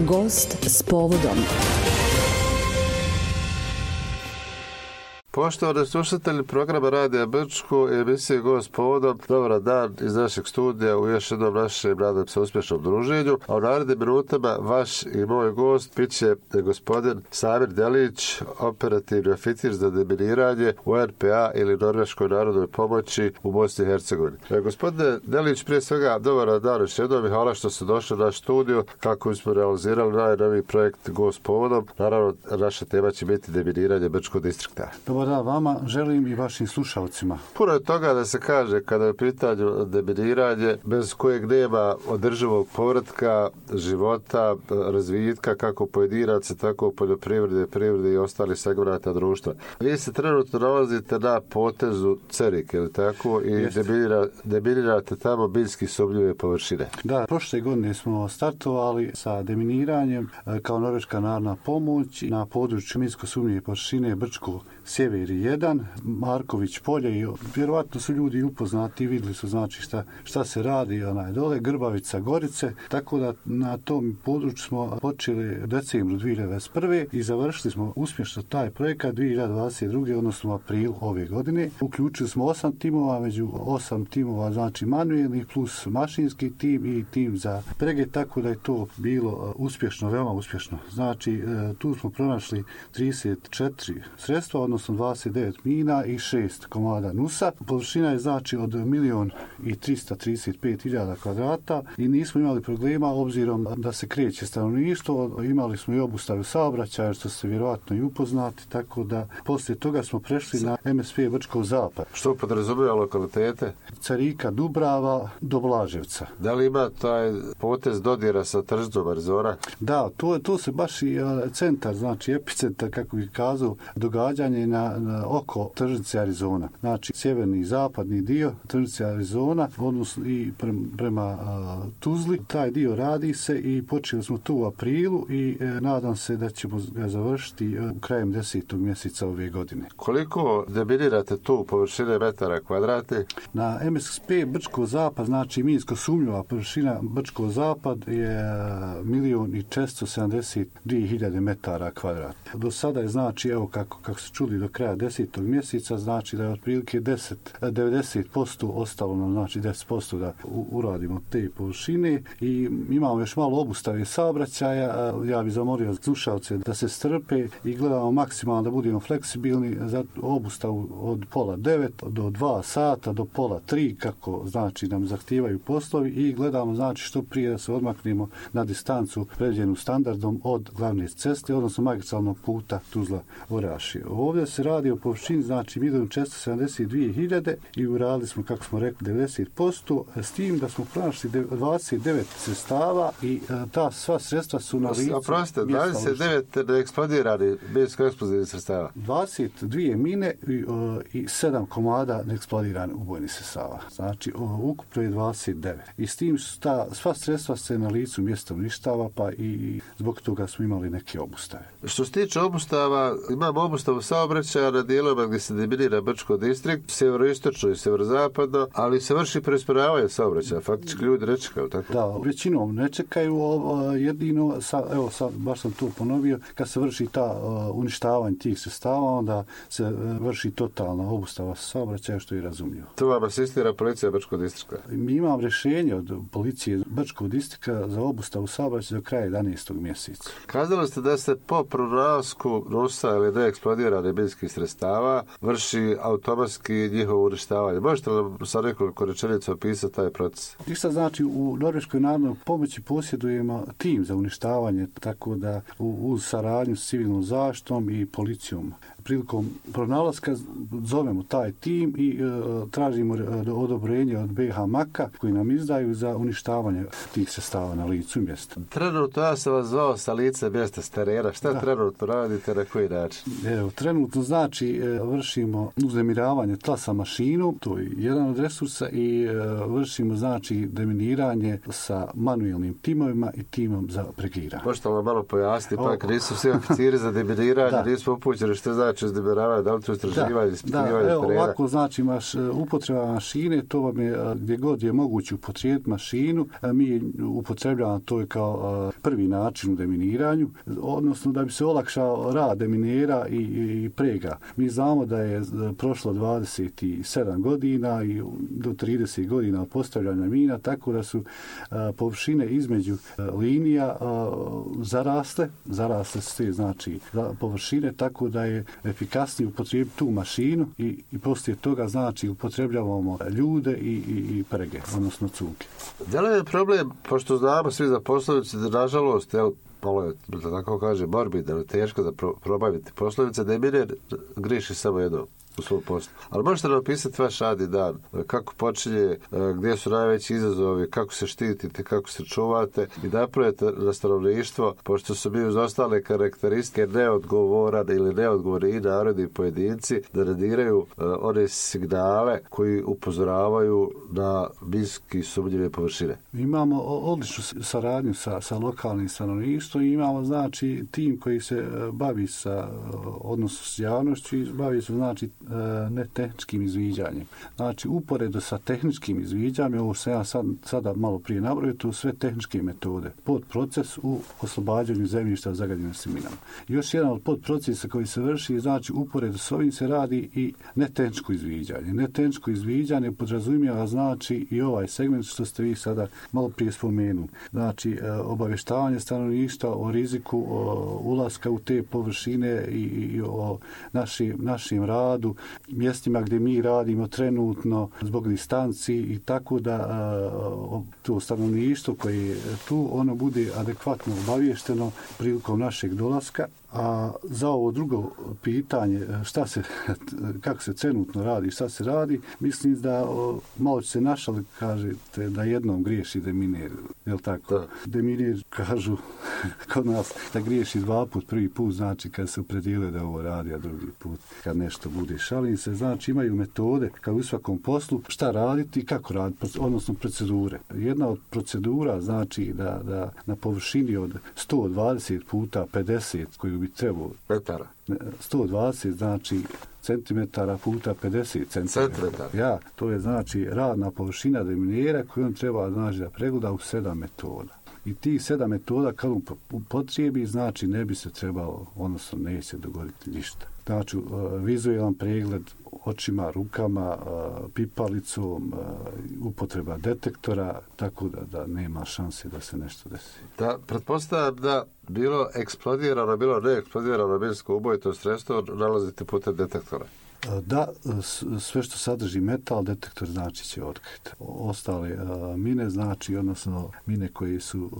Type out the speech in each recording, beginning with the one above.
Gost s povodom. Poštovani slušatelji programa Radija Brčko i emisije Gost s povodom, dobar dan iz našeg studija u još jednom našem, nadam se, uspješnom druženju. A u narednim minutama vaš i moj gost bit će gospodin Samir Delić, operativni oficir za deminiranje u NPA ili Norveškoj narodnoj pomoći u Bosni i Hercegovini. Gospodine Delić, prije svega dobar dan još jednom i hvala što ste došli na naš studio kako smo realizirali najnoviji projekt Gost s povodom. Naravno, naša tema će biti deminiranje Brčkog distrikta. Da, vama želim i vašim slušalcima. Puno je toga da se kaže kada je u pitanju deminiranje, bez kojeg nema održivog povratka, života, razvitka, kako pojedinaca, tako poljoprivrede, privrede i ostalih segmenata društva. Vi se trenutno nalazite na potezu Cerike, ili tako, i deminirate tamo minski sumnjive površine. Da, prošle godine smo startovali sa deminiranjem kao Norveška narodna pomoć na području minsko sumnjive površine Brčko Sjever 1, Marković polje i vjerovatno su ljudi upoznati i vidjeli su znači šta se radi dole, Grbavica, Gorice, tako da na tom području smo počeli u decembru 2021. i završili smo uspješno taj projekat 2022. odnosno u aprilu ove godine. Uključili smo 8 timova, među 8 timova znači manuelnih plus mašinski tim i tim za prege, tako da je to bilo uspješno, veoma uspješno. Znači tu smo pronašli 34 sredstva, odnosno 29 mina i 6 komada nusa. Površina je znači od 1.335.000 kvadrata i nismo imali problema obzirom da se kreće stanovništvo. Imali smo i obustavu saobraćaja, što ste vjerovatno i upoznati, tako da poslije toga smo prešli na MSP Brčkov zapad. Što podrazumijeva lokalitete? Carika, Dubrava do Blaževca. Da li ima taj potez dodira sa tržnicom Arizona? Da, to se baš i centar, znači epicentar, kako bih kazao, događanje na oko tržnice Arizona. Znači, sjeverni i zapadni dio tržnice Arizona, odnosno i prema Tuzli. Taj dio radi se i počeli smo tu u aprilu i nadam se da ćemo ga završiti krajem 10. mjeseca ove godine. Koliko deminirate tu površine metara kvadratnih? Na MSP Brčko zapad, znači minsko sumnjiva površina Brčko zapad je 1.472.000 metara kvadratnih. Do sada je znači, evo kako se čuli, do kraja 10. mjeseca, znači da je otprilike 90% ostalo nam, znači 10% da uradimo te površine i imamo još malo obustave saobraćaja. Ja bih zamolio slušalce da se strpe i gledamo maksimalno da budemo fleksibilni za obustavu od 8:30 do 2 sata do 2:30, kako znači nam zahtijevaju poslovi, i gledamo znači što prije da se odmaknemo na distancu predviđenu standardom od glavne ceste, odnosno magistralnog puta Tuzla-Orašje. Ovdje se radi o površini, znači 1.472.000 i uradili smo, kako smo rekli, 90%, s tim da smo pronašli 29 sredstava i ta sva sredstva su na licu. Oprostite, 29 neeksplodirani minsko-eksplozivnih sredstava. 22 mine i 7 komada neeksplodirani ubojnih sredstava. Znači, ukupno je 29. I s tim sva sredstva se na licu mjesta uništava, pa i zbog toga smo imali neke obustave. Što se tiče obustava, imamo obustavu saobraćaja na dijelovima gdje se deminira Brčko distrikt, sjeveroistočno i sjeverozapadno, ali se vrši preusmjeravanje saobraćaja. Faktički ljudi ne čekaju, tako? Da, većinom ne čekaju, jedino, baš sam tu ponovio, kad se vrši ta uništavanje tih sredstava, onda se vrši totalna obustava saobraćaja, što je razumljivo. Tu vam asistira policija Brčkog distrikta? Mi imam rješenje od policije Brčkog distrikta za obustavu saobraćaja do kraja 11. mjeseca. Kazali ste da se po pronalasku nusa ili neeksplodirane minskih sredstava vrši automatski njihovo uništavanje. Možete li sa nekoliko rečenica opisati taj proces? Isto znači u Norveškoj narodnoj pomoći posjedujemo tim za uništavanje, tako da uz saradnju s civilnom zaštitom i policijom. Prilikom pronalaska zovemo taj tim i tražimo odobrenje od BH Maka koji nam izdaju za uništavanje tih sredstava na licu mjesta. Trenutno ja sam vas zvao sa lice mjesta, s terena. Šta trenutno radite, na koji način? Evo, trenutno znači vršimo uznemiravanje tla sa mašinom, to je jedan od resursa, i vršimo znači deminiranje sa manuelnim timovima i timom za pregiranje. Možete vam malo pojasniti, pa nisu svi oficiri za deminiranje, nismo upućeni što znači znači uznemiravanje, da li to istraživanje, ispitivanje terena? Da, ovako, znači upotreba mašine, to vam je gdje god je moguće upotrijebiti mašinu, mi upotrebljavamo to je kao prvi način u deminiranju, odnosno da bi se olakšao rad deminera i prega. Mi znamo da je prošlo 27 godina i do 30 godina postavljanja mina, tako da su površine između linija zarasle sve, znači površine, tako da je efikasnije upotrijebiti tu mašinu i poslije toga znači upotrebljavamo ljude i prege, odnosno cunke. Da li je problem, pošto znamo svi za poslovice, da nažalost, malo je, da tako kaže, morbidno, da je teško da probaviti poslovice, da je miner griješi samo jedno u svom poslu. Ali možete nam opisati vaš radni dan, kako počinje, gdje su najveći izazovi, kako se štitite, kako se čuvate i napravite na stanovništvo, pošto su mi uz ostale karakteristike neodgovoran ili neodgovorni i narodni pojedinci, da rediraju one signale koji upozoravaju na minski sumnjive površine. Imamo odličnu saradnju sa lokalnim stanovništvom i imamo znači tim koji se bavi sa odnosom s javnošću i bavi se znači netehničkim izviđanjem. Znači, uporedo sa tehničkim izviđanjem, ovo sam ja sada malo prije nabrojio, to sve tehničke metode. Podproces u oslobađanju zemljišta zagađenim minama. Još jedan od podprocesa koji se vrši, znači, uporedo s ovim se radi i netehničko izviđanje. Netehničko izviđanje podrazumijeva, znači, i ovaj segment što ste vi sada malo prije spomenuli. Znači, obavještavanje stanovništva o riziku ulaska u te površine i o našem radu, mjestima gdje mi radimo trenutno zbog distanci i tako da to stanovništvo koje je tu, ono bude adekvatno obavješteno prilikom našeg dolaska. A za ovo drugo pitanje, kako se trenutno radi, šta se radi, mislim da malo će se našali, kažete, da jednom griješi deminer, je li tako? Da. Deminer, kažu kod nas, da griješi dva put, prvi put znači kad se opredijele da ovo radi, a drugi put kad nešto bude. Šalim se, znači imaju metode kao u svakom poslu, šta raditi i kako raditi, odnosno procedure. Jedna od procedura znači da na površini od 120 puta 50 koju bi trebalo metara. 120 znači centimetara puta 50 centimetara. Ja, to je znači radna površina deminera koju on treba znači da pregleda u 7 metoda. I tih 7 metoda kad on upotrijebi, znači ne bi se trebalo, odnosno neće dogoditi ništa. Znači, vizualan pregled očima, rukama, pipalicom, upotreba detektora, tako da nema šanse da se nešto desi. Da, pretpostavljam da bilo eksplodirano, bilo neeksplodirano minsko ubojito sredstvo nalazite putem detektora. Da, sve što sadrži metal, detektor znači će otkriti. Ostale mine znači, odnosno mine koje su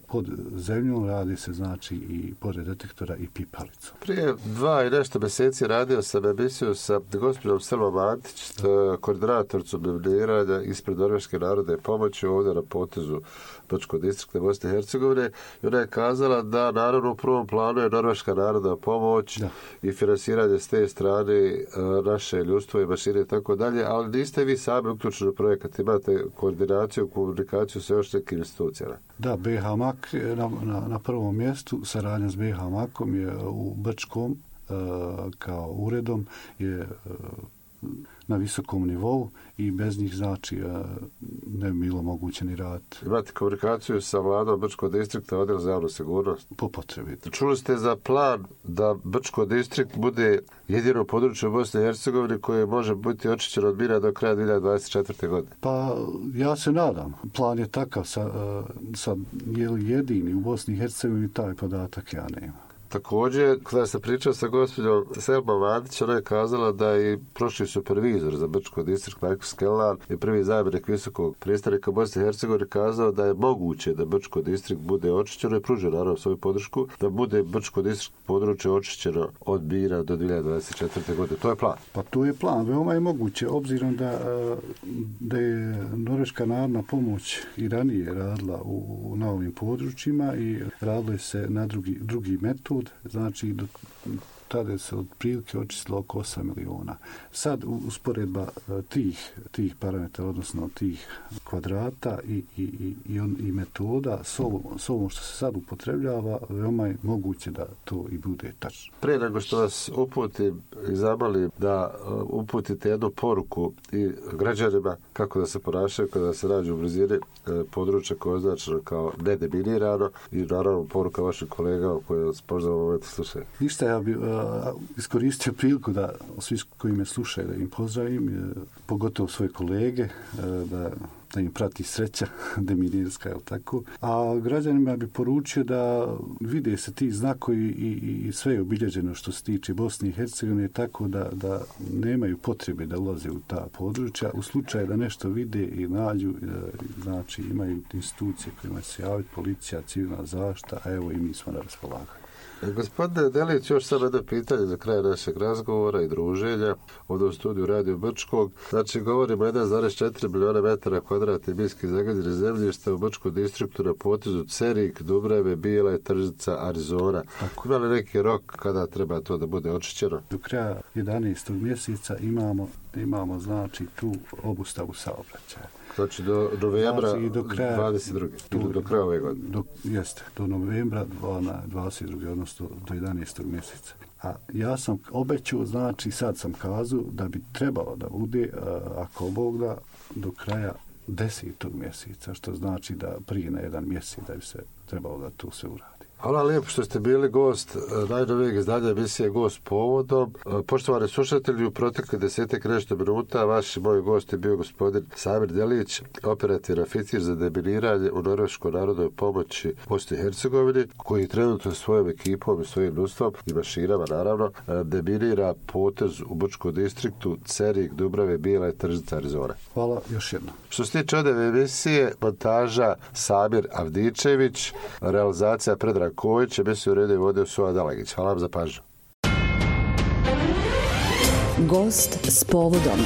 pod zemljom, radi se znači i pored detektora i pipalicom. Prije 2 i nešto mjeseci radio sam emisiju sa gospođom Selmom Antić, koordinatoricom deminiranja ispred Norveške narodne pomoći ovdje na potezu Brčkog distrikta Bosne i Hercegovine. I ona je kazala da naravno u prvom planu je Norveška narodna pomoć i finansiranje s te strane naše ljudstvo i mašine i tako dalje, ali niste vi sami uključeni u projekat, imate koordinaciju, komunikaciju sa još nekim institucijama. Da, BH Mak na prvom mjestu, saradnja s BH Makom je u Brčkom kao uredom je na visokom nivou i bez njih znači ne bi bilo moguće ni raditi. Imate komunikaciju sa vladom Brčkog distrikta, odjel za javnu sigurnost? Po potrebi. Čuli ste za plan da Brčko distrikt bude jedino područje u Bosni i Hercegovini koje može biti očišćeno od mina do kraja 2024. godine? Pa ja se nadam. Plan je takav, sad je li jedini u Bosni i Hercegovini, taj podatak ja nemam. Također, kada sam pričao sa gospođom Selmom Antić, ona je kazala da i prošli supervizor za Brčko distrikt, Michael Skellan, i prvi zamjenik visokog predstavnika Bosne i Hercegovine kazao da je moguće da Brčko distrikt bude očišćeno i pružio naravno svoju podršku, da bude Brčko distrikt područje očišćeno od mina do 2024. godine. To je plan. Pa to je plan. Veoma je moguće, obzirom da je Norveška narodna pomoć i ranije radila na ovim područjima i radilo se na drugi metod. Znači, tada se od prilike očistilo oko 8 miliona. Sad usporedba tih parametara, odnosno tih kvadrata i metoda s ovom što se sad upotrebljava, veoma je moguće da to i bude tačno. Prije nego što vas uputim i zamolim da uputite jednu poruku i građanima kako da se ponašaju kada se nađu u blizini područja koje je označeno kao nedeminirano i naravno poruka vašim kolegama koje vas možda u momentu slušaju. Ništa, ja bih iskoristio priliku da svi koji me slušaju da im pozdravim, pogotovo svoje kolege, da im prati sreća deminirska, je li tako? A građanima bi poručio da vide se ti znakovi i sve je obilježeno što se tiče Bosne i Hercegovine, tako da nemaju potrebe da ulaze u ta područja. U slučaju da nešto vide i nađu, znači imaju institucije kojima se javiti, policija, civilna zaštita, a evo i mi smo na raspolaganju. Gospodine Delić, još samo jedno pitanje za kraj našeg razgovora i druženja ovdje u studiju Radio Brčkog. Znači, govorimo 1,4 miliona metara kvadratnih minski zagađenih zemljišta u Brčkom distriktu na potezu Cerik, Dubrave, Bijela, Tržica, Arizona. Ima li neki rok kada treba to da bude očišćeno? Do kraja 11. mjeseca imamo znači tu obustavu saobraćaja. Znači do novembra 22. Ili do kraja ove godine? Jeste, do novembra 22. odnosno do 11. mjeseca. A ja sam obećao, znači sad sam kazao da bi trebalo da bude, ako Bog da, do kraja 10. mjeseca, što znači da prije na jedan mjesec da bi se trebalo da to sve uradi. Hvala lijepo što ste bili gost najnovijeg izdanja emisije Gost povodom. Poštovani slušatelji, u protekle 10 nešto minuta vaš i moj gost je bio gospodin Samir Delić, operativni oficir za deminiranje u Norveškoj narodnoj pomoći Bosni i Hercegovini, koji trenutno svojom ekipom i svojim ljudstvom i mašinama naravno deminira potez u Brčkom distriktu Cerik, Dubrave, Bijela i Tržica, Arizona. Hvala još jednom. Što se tiče ove emisije, montaža Samir Avdičević, realizacija Predrag Kojić, emisiju uredio i vodio Suva Dalagić. Hvala vam za pažnju. Gost s povodom.